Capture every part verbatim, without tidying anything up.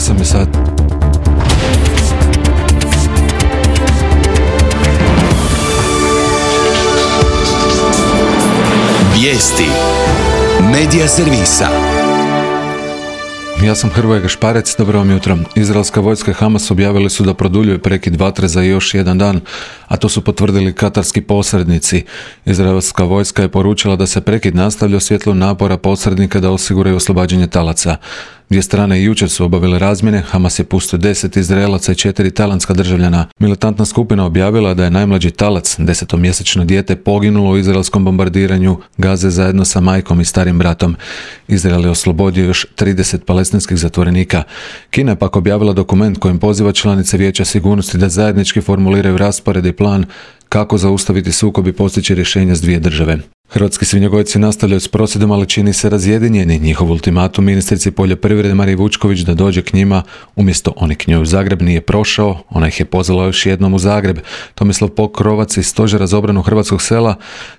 osam je sati. Vijesti Medija servisa. Ja sam Hrvoje Gašparec, dobro vam jutro. Izraelska vojska i Hamas objavili su da produljuje prekid vatre za još jedan dan, a to su potvrdili katarski posrednici. Izraelska vojska je poručila da se prekid nastavlja u svjetlu napora posrednika da osiguraju oslobađanje talaca. Dvije strane i jučer su obavile razmjene, Hamas je pustio deset Izraelaca i četiri tajlandska državljana. Militantna skupina objavila da je najmlađi talac, desetomjesečno dijete, poginulo u izraelskom bombardiranju Gaze zajedno sa majkom i starim bratom. Izrael je oslobodio još trideset palestinskih zatvorenika. Kina je pak objavila dokument kojim poziva članice Vijeća sigurnosti da zajednički formuliraju raspored i plan kako zaustaviti sukob i postići rješenja s dvije države. Hrvatski svinjogojci nastavljaju s prosvjedom, ali čini se razjedinjeni. Njihov ultimatum ministrici poljoprivrede Mariji Vučković da dođe k njima umjesto oni k njoj u Zagreb nije prošao, ona ih je pozvala još jednom u Zagreb. Tomislav Pokrovac iz Stožera za obranu hrvatskog sela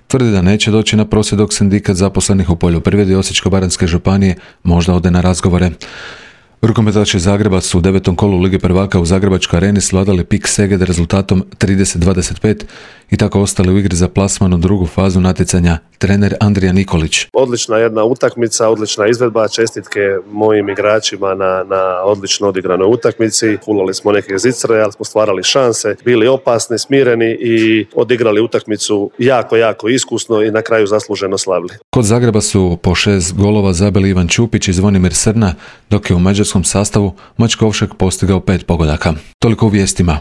tvrdi da neće doći na prosvjed dok sindikat zaposlenih u poljoprivredi Osječko-baranjske županije možda ode na razgovore. Rukometaši Zagreba su u devetom kolu Lige prvaka u Zagrebačkoj areni svladali Pik Seged rezultatom trideset dvadeset pet i tako ostali u igri za plasman u drugu fazu natjecanja. Trener Andrija Nikolić. Odlična jedna utakmica, odlična izvedba, čestitke mojim igračima na, na odlično odigranoj utakmici. Fulali smo neke zicre, ali smo stvarali šanse, bili opasni, smireni i odigrali utakmicu jako, jako iskusno i na kraju zasluženo slavili. Kod Zagreba su po šest golova zabili Ivan Čupić i Zvonimir Srna, dok je u mađarskom sastavu Mačkovšek postigao pet pogodaka. Toliko u vijestima.